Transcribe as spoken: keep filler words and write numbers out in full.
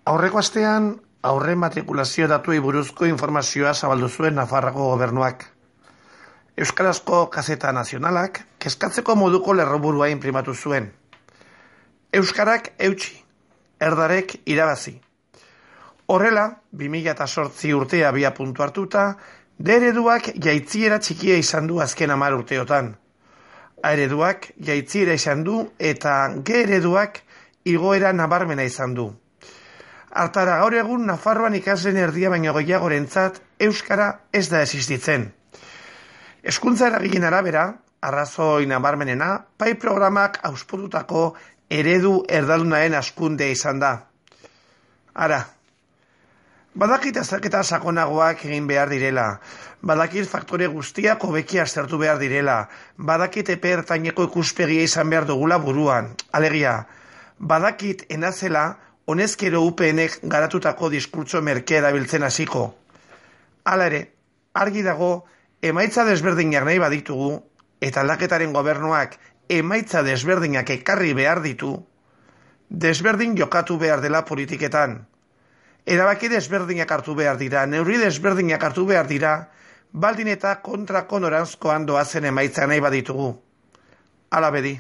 Aurreko astean, aurre matrikulazio datuei buruzko informazioa zabaldu zuen Nafarroako gobernuak. Euskarazko Gazeta Nazionalak kezkatzeko moduko lerroburua inprimatu zuen. Euskarak eutsi, erdarek irabazi. Horrela, bi mila zortzi urtea bia puntu hartuta, D ereduak jaitziera txikia izan du azken hamar urteotan. A ereduak jaitziera izan du eta G ereduak igoera nabarmena izan du. Hartara gaur egun Nafarroan ikasleen erdia baino gehiagorentzat euskara ez da existitzen. Hezkuntza eragileen arabera, arrazoi nabarmenena, pai programak auspotutako eredu erdaldunaren hazkundea izan da. Ara, badakit azterketa sakonagoak egin behar direla, badakit faktore guztiak hobeki aztertu behar direla, badakit epe ertaineko ikuspegia izan behar dugula buruan, alegia, badakit enazela honezkero U P N-ek garatutako diskurtso merkea erabiltzen hasiko. Hala ere, argi dago, emaitza desberdinak nahi baditugu, eta aldaketaren gobernuak emaitza desberdinak ekarri behar ditu, desberdin jokatu behar dela politiketan. Erabaki desberdinak hartu behar dira, neurri desberdinak hartu behar dira, baldin eta kontrako noranzkoan doazen emaitza nahi baditugu. Hala bedi.